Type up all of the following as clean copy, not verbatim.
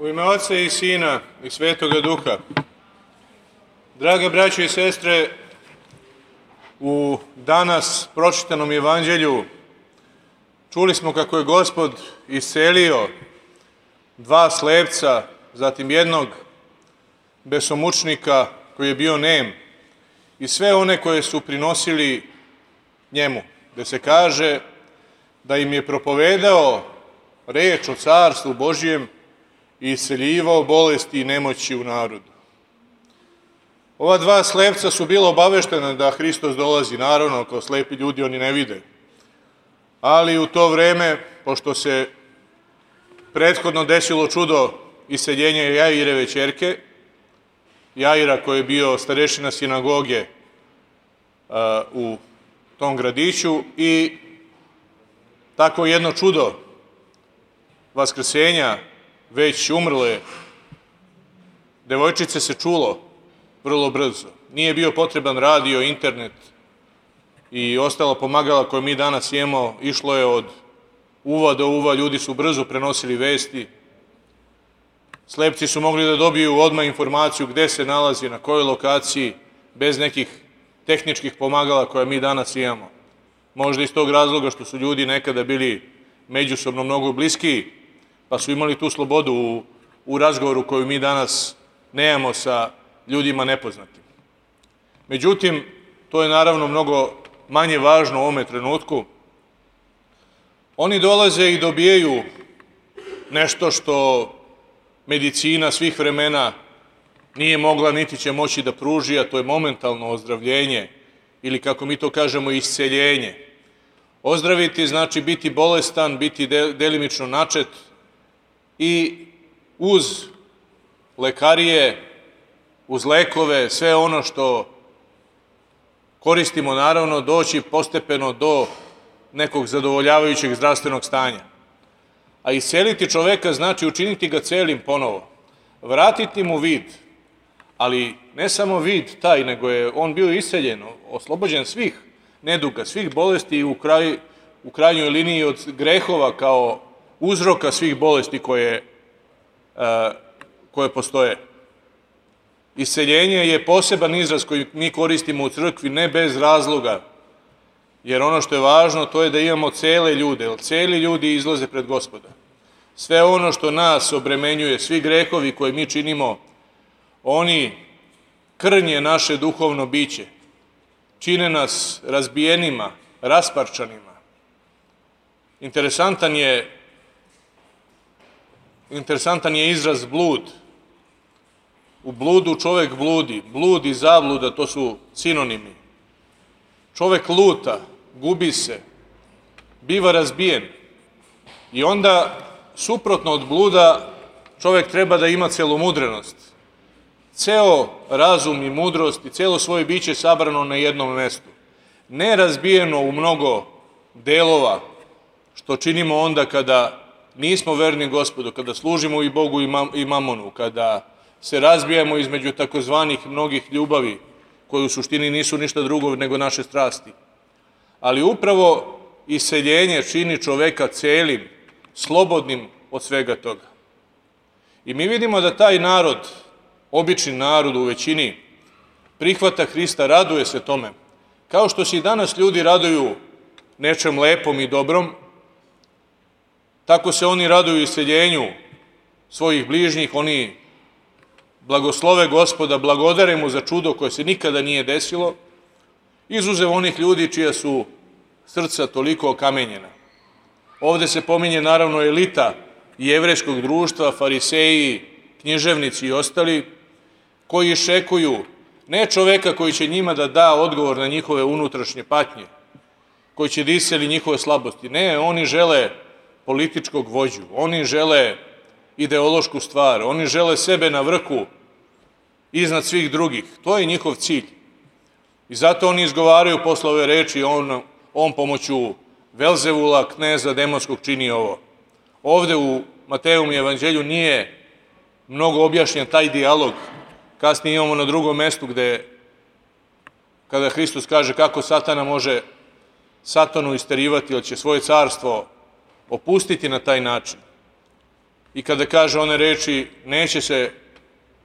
U ime Oca i Sina i Svetoga Duha. Drage braće i sestre, u danas pročitanom evanđelju čuli smo kako je Gospod iscelio 2 slepca, zatim jednog besomučnika koji je bio nem i sve one koje su prinosili njemu, gde se kaže da im je propovedao reč o Carstvu Božjem i isceljivao bolesti i nemoći u narodu. Ova 2 slepca su bila obaveštena da Hristos dolazi, naravno, kao slepi ljudi oni ne vide. Ali u to vreme, pošto se prethodno desilo čudo isceljenja Jaireve ćerke, Jaira koji je bio starešina sinagoge u tom gradiću, i tako jedno čudo vaskrsenja već umrle devojčice se čulo vrlo brzo. Nije bio potreban radio, internet i ostala pomagala koje mi danas imamo, išlo je od uva do uva, ljudi su brzo prenosili vesti. Slepci su mogli da dobiju odmah informaciju gde se nalazi, na kojoj lokaciji, bez nekih tehničkih pomagala koje mi danas imamo. Možda iz tog razloga što su ljudi nekada bili međusobno mnogo bliskiji, pa su imali tu slobodu u razgovoru koju mi danas nemamo sa ljudima nepoznatim. Međutim, to je naravno mnogo manje važno u ovome trenutku. Oni dolaze i dobijaju nešto što medicina svih vremena nije mogla niti će moći da pruži, a to je momentalno ozdravljenje ili, kako mi to kažemo, isceljenje. Ozdraviti znači biti bolestan, biti delimično načet i uz lekarije, uz lekove, sve ono što koristimo, naravno, doći postepeno do nekog zadovoljavajućeg zdravstvenog stanja. A isceliti čoveka znači učiniti ga celim ponovo, vratiti mu vid, ali ne samo vid taj, nego je on bio isceljen, oslobođen svih neduga, svih bolesti i u krajnjoj liniji od grehova kao uzroka svih bolesti koje postoje. Isceljenje je poseban izraz koji mi koristimo u crkvi, ne bez razloga, jer ono što je važno to je da imamo cele ljude, jer celi ljudi izlaze pred Gospoda. Sve ono što nas obremenjuje, svi grehovi koje mi činimo, oni krnje naše duhovno biće, čine nas razbijenima, rasparčanima. Interesantan je izraz blud. U bludu čovek bludi. Blud i zabluda, to su sinonimi. Čovek luta, gubi se, biva razbijen. I onda, suprotno od bluda, čovek treba da ima celomudrenost. Ceo razum i mudrost i celo svoje biće sabrano na jednom mestu. Ne razbijeno u mnogo delova, što činimo onda kada nismo verni Gospodu, kada služimo i Bogu i mamonu, kada se razbijamo između takozvanih mnogih ljubavi, koje u suštini nisu ništa drugo nego naše strasti. Ali upravo isceljenje čini čoveka celim, slobodnim od svega toga. I mi vidimo da taj narod, obični narod u većini, prihvata Hrista, raduje se tome. Kao što se i danas ljudi raduju nečem lepom i dobrom, tako se oni raduju isceljenju svojih bližnjih, oni blagoslove Gospoda, blagodare mu za čudo koje se nikada nije desilo, izuzev onih ljudi čija su srca toliko okamenjena. Ovde se pominje naravno elita jevrejskog društva, fariseji, književnici i ostali, koji iščekuju ne čoveka koji će njima da da odgovor na njihove unutrašnje patnje, koji će da isceli njihove slabosti. Ne, oni žele političkog vođu, oni žele ideološku stvar, oni žele sebe na vrhu iznad svih drugih. To je njihov cilj. I zato oni izgovaraju posle ove reči, on pomoću Velzevula, kneza demonskog, čini ovo. Ovde u Matejevom evanđelju nije mnogo objašnjen taj dijalog. Kasnije imamo na drugom mestu gde, kada Hristos kaže kako Satana može Satanu isterivati, jer će svoje carstvo opustiti na taj način. i kada kaže one reči,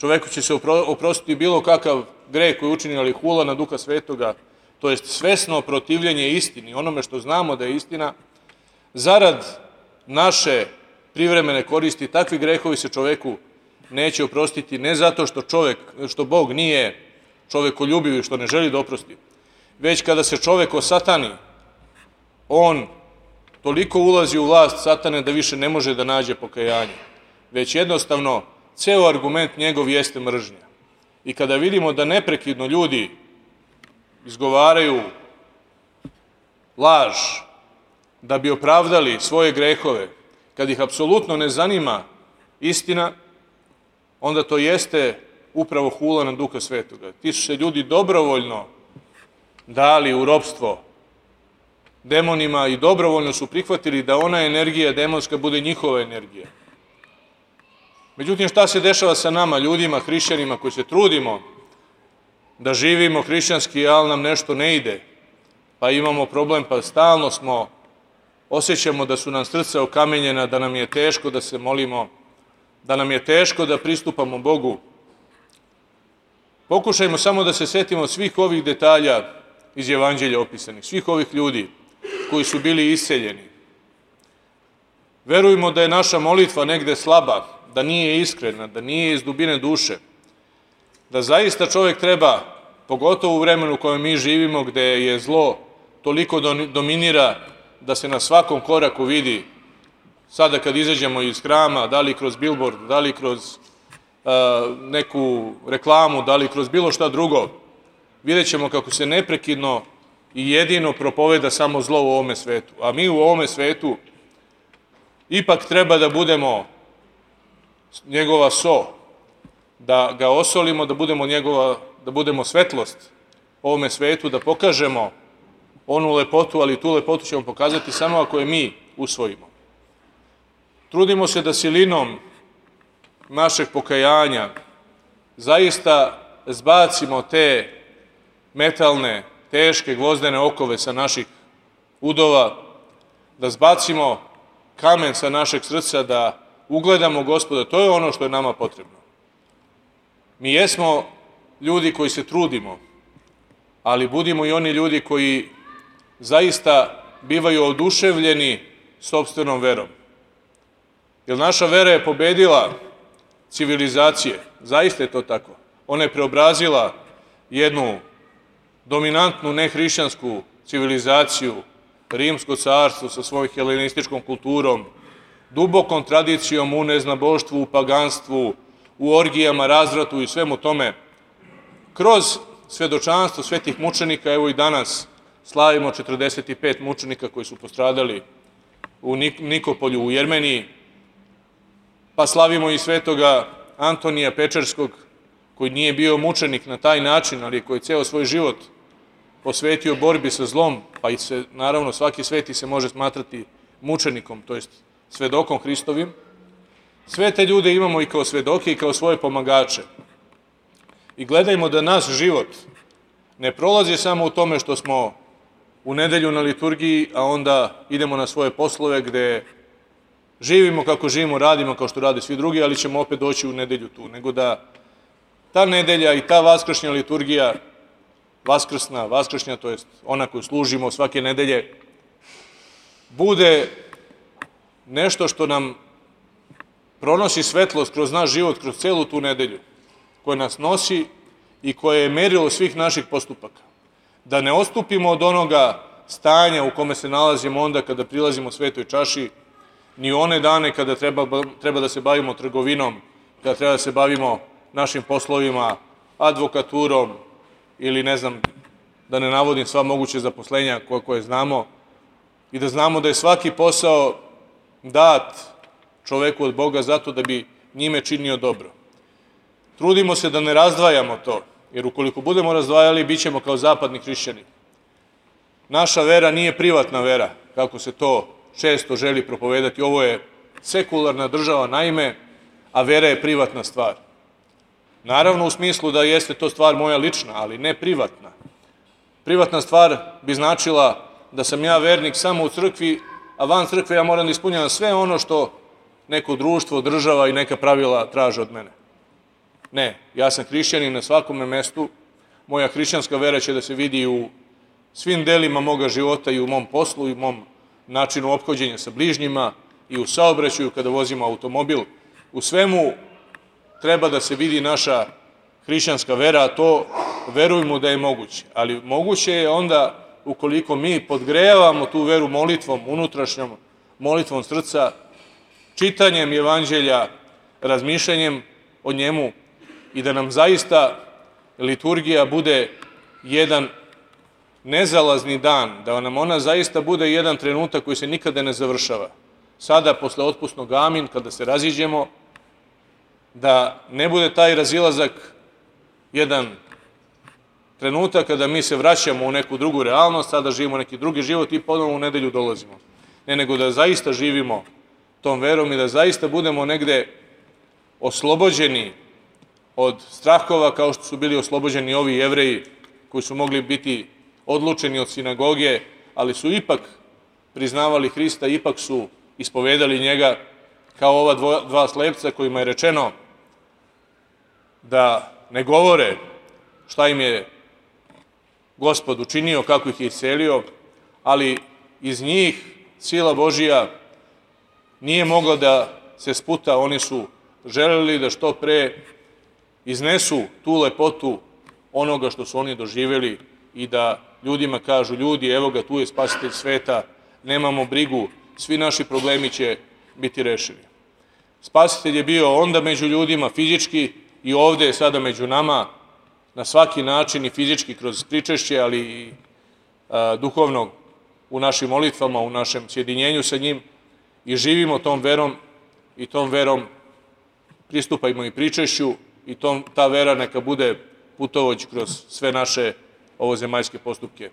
čoveku će se oprostiti bilo kakav greh koji učini, ali hula na Duha Svetoga, to jest svesno protivljenje istini, onome što znamo da je istina, zarad naše privremene koristi, takvi grehovi se čoveku neće oprostiti, ne zato što Bog nije čovekoljubiv i što ne želi da oprosti, već kada se čovek osatani, on toliko ulazi u vlast satane da više ne može da nađe pokajanje, već jednostavno ceo argument njegov jeste mržnja. I kada vidimo da neprekidno ljudi izgovaraju laž da bi opravdali svoje grehove, kad ih apsolutno ne zanima istina, onda to jeste upravo hula na Duha Svetoga. Ti su se ljudi dobrovoljno dali u ropstvo demonima i dobrovoljno su prihvatili da ona energija demonska bude njihova energija. Međutim, šta se dešava sa nama, ljudima, hrišćanima koji se trudimo da živimo hrišćanski, ali nam nešto ne ide, pa imamo problem, pa stalno osjećamo da su nam srca okamenjena, da nam je teško da se molimo, da nam je teško da pristupamo Bogu. Pokušajmo samo da se setimo svih ovih detalja iz Evanđelja opisanih, svih ovih ljudi koji su bili iseljeni. Verujmo da je naša molitva negde slaba, da nije iskrena, da nije iz dubine duše, da zaista čovjek treba, pogotovo u vremenu u kojem mi živimo, gde je zlo toliko dominira, da se na svakom koraku vidi, sada kad izađemo iz hrama, da li kroz bilbord, da li kroz neku reklamu, da li kroz bilo šta drugo, vidjet ćemo kako se neprekidno i jedino propoveda samo zlo u ovome svetu. A mi u ovome svetu ipak treba da budemo njegova so, da ga osolimo, da budemo svetlost ovome svetu, da pokažemo onu lepotu, ali tu lepotu ćemo pokazati samo ako je mi usvojimo. Trudimo se da silinom našeg pokajanja zaista zbacimo te metalne, teške, gvozdene okove sa naših udova, da zbacimo kamen sa našeg srca, da ugledamo Gospoda. To je ono što je nama potrebno. Mi jesmo ljudi koji se trudimo, ali budimo i oni ljudi koji zaista bivaju oduševljeni sopstvenom verom. Jer naša vera je pobedila civilizacije, zaista je to tako. Ona je preobrazila jednu dominantnu nehrišćansku civilizaciju, Rimsko carstvo sa svojom helenističkom kulturom, dubokom tradicijom u neznaboštvu, u paganstvu, u orgijama, razvratu i svemu tome. Kroz svedočanstvo svetih mučenika, evo i danas slavimo 45 mučenika koji su postradali u Nikopolju u Jermeniji, pa slavimo i svetoga Antonija Pečerskog, koji nije bio mučenik na taj način, ali koji je ceo svoj život posvetio borbi sa zlom, pa i naravno svaki sveti se može smatrati mučenikom, to jest svedokom Hristovim. Sve te ljude imamo i kao svedoke i kao svoje pomagače. I gledajmo da naš život ne prolazi samo u tome što smo u nedelju na liturgiji, a onda idemo na svoje poslove gde živimo kako živimo, radimo kao što rade svi drugi, ali ćemo opet doći u nedelju tu. Nego da ta nedelja i ta vaskršnja liturgija, vaskršnja, to jest ona koju služimo svake nedelje, bude nešto što nam pronosi svetlost kroz naš život, kroz celu tu nedelju, koja nas nosi i koje je merilo svih naših postupaka. Da ne odstupimo od onoga stanja u kome se nalazimo onda kada prilazimo svetoj čaši, ni one dane kada treba da se bavimo trgovinom, kada treba da se bavimo našim poslovima, advokaturom ili ne znam, da ne navodim sva moguće zaposlenja koje znamo, i da znamo da je svaki posao dat čoveku od Boga zato da bi njime činio dobro. Trudimo se da ne razdvajamo to, jer ukoliko budemo razdvajali, bit ćemo kao zapadni hrišćani. Naša vera nije privatna vera, kako se to često želi propovedati. Ovo je sekularna država naime, a vera je privatna stvar. Naravno u smislu da jeste to stvar moja lična, ali ne privatna. Privatna stvar bi značila da sam ja vernik samo u crkvi, a van crkve ja moram da ispunjavam sve ono što neko društvo, država i neka pravila traže od mene. Ne, ja sam hrišćanin na svakome mestu, moja hrišćanska vera će da se vidi u svim delima moga života i u mom poslu i u mom načinu ophođenja sa bližnjima i u saobraćaju kada vozimo automobil. U svemu treba da se vidi naša hrišćanska vera, a to verujemo da je moguće. Ali moguće je onda ukoliko mi podgrejavamo tu veru molitvom, unutrašnjom molitvom srca, čitanjem evanđelja, razmišljanjem o njemu i da nam zaista liturgija bude jedan nezalazni dan, da nam ona zaista bude jedan trenutak koji se nikada ne završava. Sada, posle otpusnog amin, kada se raziđemo, da ne bude taj razilazak jedan trenutak kada mi se vraćamo u neku drugu realnost, sada živimo neki drugi život i ponovno u nedelju dolazimo. Ne, nego da zaista živimo tom verom i da zaista budemo negde oslobođeni od strahova kao što su bili oslobođeni ovi Jevreji koji su mogli biti odlučeni od sinagoge, ali su ipak priznavali Hrista, ipak su ispovedali njega kao ova dva slepca kojima je rečeno da ne govore šta im je Gospod učinio, kako ih je iscelio, ali iz njih sila Božija nije mogla da se sputa, oni su želeli da što pre iznesu tu lepotu onoga što su oni doživjeli i da ljudima kažu, ljudi, evo ga, tu je spasitelj sveta, nemamo brigu, svi naši problemi će biti rešeni. Spasitelj je bio onda među ljudima fizički i ovde je sada među nama na svaki način i fizički kroz pričešće, ali i duhovno u našim molitvama, u našem sjedinjenju sa njim i živimo tom verom i tom verom pristupajmo i pričešću i ta vera neka bude putovođ kroz sve naše ovozemaljske postupke.